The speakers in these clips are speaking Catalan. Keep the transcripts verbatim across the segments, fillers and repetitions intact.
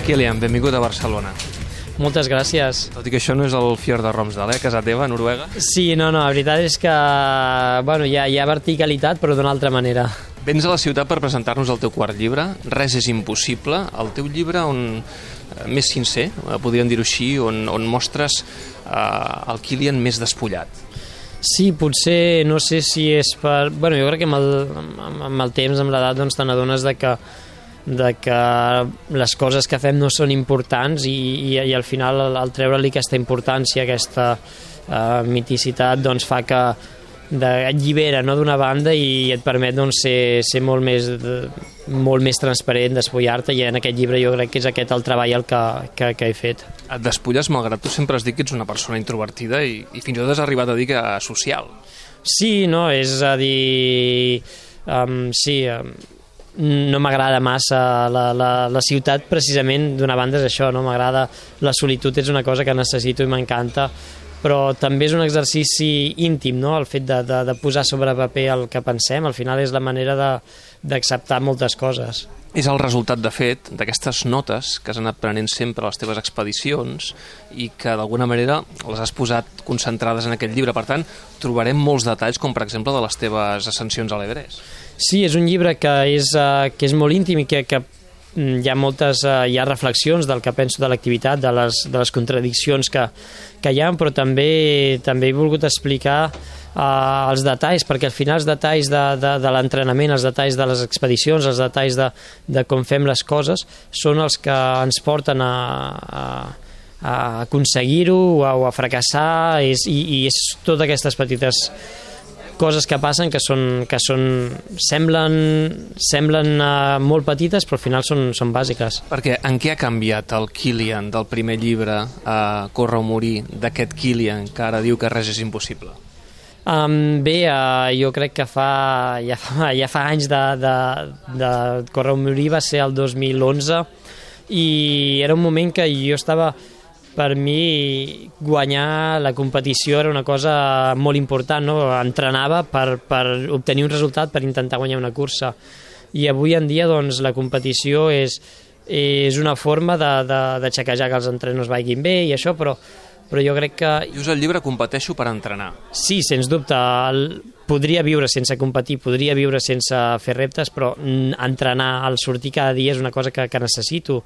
Kilian, benvingut a Barcelona. Moltes gràcies. Tot i que això no és el Fjord de Romsdal, eh? Casa teva, a Noruega. Sí, no, no, la veritat és que bueno, hi, ha, hi ha verticalitat, però d'una altra manera. Vens a la ciutat per presentar-nos el teu quart llibre, Res és impossible, el teu llibre on, més sincer, podríem dir-ho així, on, on mostres eh, el Kilian més despullat. Sí, potser, no sé si és per... Bueno, jo crec que amb el, amb el temps, amb l'edat, doncs te n'adones de que de que les coses que fem no són importants i, i, i al final al, al treure-li aquesta importància, aquesta uh, miticitat, doncs fa que de, et llibera, no, d'una banda i et permet doncs, ser, ser molt, més, de, molt més transparent, despullar-te, i en aquest llibre jo crec que és aquest el treball el que, que, que he fet. Et despulles malgrat tu sempre has dit que ets una persona introvertida i, i fins i tot has arribat a dir que social. Sí, no, és a dir... Um, sí, um, no m'agrada massa la, la, la ciutat, precisament d'una banda és això, no m'agrada, la solitud és una cosa que necessito i m'encanta, però també és un exercici íntim, no? El fet de, de, de posar sobre paper el que pensem, al final és la manera d'acceptar moltes coses. És el resultat, de fet, d'aquestes notes que has anat prenent sempre a les teves expedicions i que d'alguna manera les has posat concentrades en aquest llibre. Per tant, trobarem molts detalls, com per exemple de les teves ascensions a l'Everest. Sí, és un llibre que és, uh, que és molt íntim i que, que hi ha moltes uh, hi ha reflexions del que penso de l'activitat, de les, de les contradiccions que, que hi ha, però també, també he volgut explicar uh, els detalls, perquè al final els detalls de, de, de l'entrenament, els detalls de les expedicions, els detalls de, de com fem les coses, són els que ens porten a, a, a aconseguir-ho o a, o a fracassar, és, i, i és totes aquestes petites coses que passen que són, que són semblen, semblen uh, molt petites, però al final són, són bàsiques. Perquè en què ha canviat el Kilian del primer llibre a Córrer o morir, d'aquest Kilian que ara diu que res és impossible? Um, bé, uh, jo crec que fa, ja, fa, ja fa anys de, de, de Córrer o morir, va ser el dos mil onze, i era un moment que jo estava... Per mi, guanyar la competició era una cosa molt important, no? Entrenava per, per obtenir un resultat, per intentar guanyar una cursa. I avui en dia, doncs, la competició és, és una forma de, de, de xequejar que els entrenos vagin bé i això, però, però jo crec que... Dius el llibre Competeixo per entrenar. Sí, sens dubte. El, podria viure sense competir, podria viure sense fer reptes, però entrenar, al sortir cada dia és una cosa que, que necessito.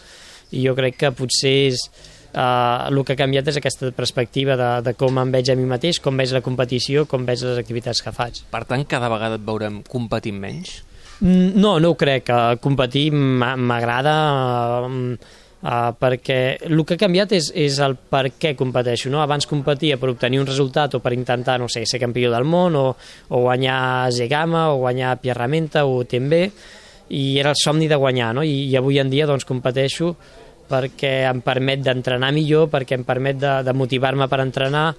I jo crec que potser és... Uh, el que ha canviat és aquesta perspectiva de, de com em veig a mi mateix, com veig la competició, com veig les activitats que faig. Per tant, cada vegada et veurem competint menys? No, no ho crec. Competir m'agrada uh, uh, perquè el que ha canviat és, és el per què competeixo, no? Abans competia per obtenir un resultat o per intentar, no sé, ser campió del món o, o guanyar Zegama o guanyar Pierramenta o U T M B, i era el somni de guanyar, no? I, i avui en dia doncs competeixo perquè em permet d'entrenar millor, perquè em permet de, de motivar-me per entrenar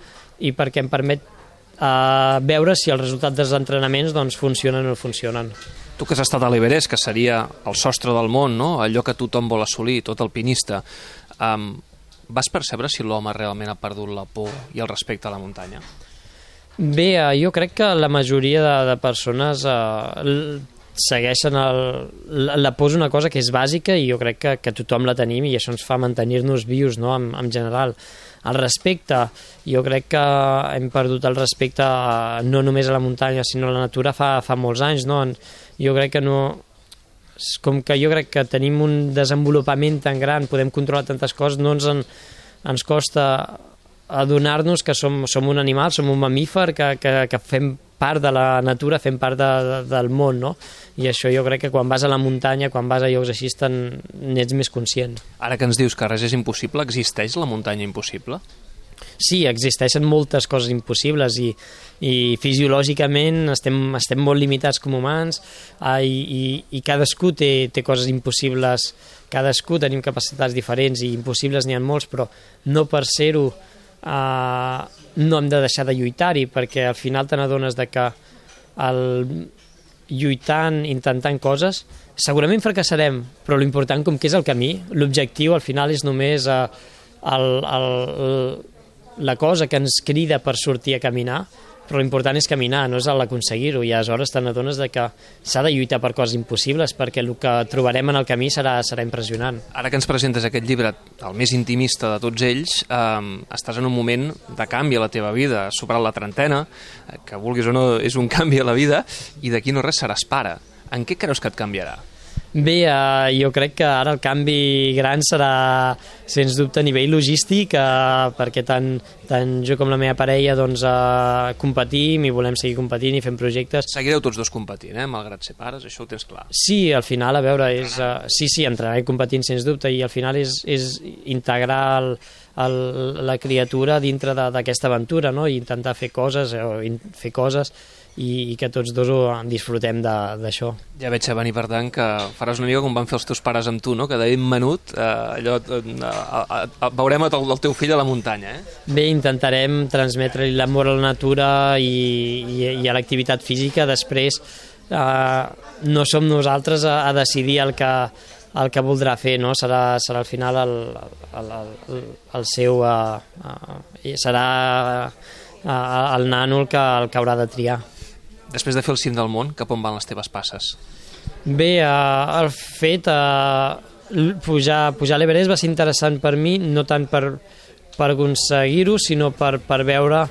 i perquè em permet uh, veure si els resultats dels entrenaments doncs, funcionen o no funcionen. Tu que has estat a l'Everest, que seria el sostre del món, no? Allò que tothom vol assolir, tot alpinista, um, vas percebre si l'home realment ha perdut la por i el respecte a la muntanya? Bé, uh, jo crec que la majoria de, de persones... Uh, segueixen el, la, la por és una cosa que és bàsica i jo crec que, que tothom la tenim i això ens fa mantenir-nos vius, no? en, en general. El respecte, jo crec que hem perdut el respecte no només a la muntanya sinó a la natura fa, fa molts anys, no? Jo crec que no... Com que jo crec que tenim un desenvolupament tan gran, podem controlar tantes coses, no ens, en, ens costa adonar-nos que som, som un animal, som un mamífer, que, que, que fem part de la natura, fem part de, de, del món, no? I això jo crec que quan vas a la muntanya, quan vas a llocs així, n'ets més conscient. Ara que ens dius que res és impossible, existeix la muntanya impossible? Sí, existeixen moltes coses impossibles i, i fisiològicament estem, estem molt limitats com humans eh, i, i, i cadascú té, té coses impossibles, cadascú tenim capacitats diferents i impossibles n'hi ha molts, però no per ser-ho Uh, no hem de deixar de lluitar-hi, perquè al final te n'adones de que el, lluitant, intentant coses, segurament fracassarem, però l'important com que és el camí, l'objectiu al final és només uh, el, el, la cosa que ens crida per sortir a caminar, però l'important és caminar, no és l'aconseguir-ho, i aleshores te n'adones de que s'ha de lluitar per coses impossibles, perquè el que trobarem en el camí serà, serà impressionant. Ara que ens presentes aquest llibre, el més intimista de tots ells, eh, estàs en un moment de canvi a la teva vida, has superat la trentena, que vulguis o no és un canvi a la vida, i d'aquí no res seràs pare. En què creus que et canviarà? Bé, eh, jo crec que ara el canvi gran serà, sens dubte, a nivell logístic, eh, perquè tant, tant jo com la meva parella doncs, eh, competim i volem seguir competint i fent projectes. Seguireu tots dos competint, eh? Malgrat ser pares, això ho tens clar. Sí, al final, a veure, és, uh, sí, sí, entrenarem competint, sens dubte, i al final és, és integrar el, el, la criatura dintre d'aquesta aventura, no? I intentar fer coses, o in, fer coses i, i que tots dos ho disfrutem d'això. Ja veig a venir, per tant, que faràs una mica com van fer els teus pares amb tu, no? Que de ben menut eh, allò, eh, eh, veurem el, el teu fill a la muntanya, eh? Bé, intentarem transmetre-li l'amor a la natura i, i, i a l'activitat física. Després eh, no som nosaltres a, a decidir el que, el que voldrà fer, no? Serà, serà al final el, el, el, el seu... Uh, uh, serà uh, el nano el que, el que haurà de triar. Després de fer el cim del món, cap on van les teves passes? Bé, uh, el fet uh, pujar, pujar a l'Everest va ser interessant per mi, no tant per, per aconseguir-ho, sinó per, per veure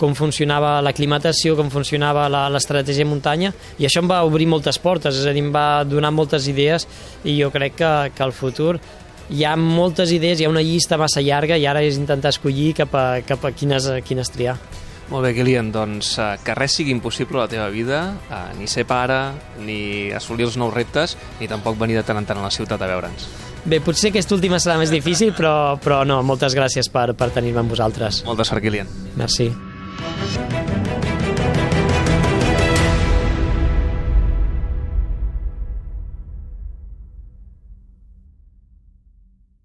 com funcionava l'aclimatació, com funcionava l'estratègia muntanya, i això em va obrir moltes portes, és a dir, em va donar moltes idees, i jo crec que, que al futur hi ha moltes idees, hi ha una llista massa llarga, i ara és intentar escollir cap a, cap a quines, quines triar. Molt bé, Kilian, doncs que res sigui impossible a la teva vida, eh, ni ser pare, ni assolir els nous reptes, ni tampoc venir de tant en tant a la ciutat a veure'ns. Bé, potser aquesta última serà més difícil, però, però no, moltes gràcies per, per tenir-me amb vosaltres. Molta sort, Kilian. Merci.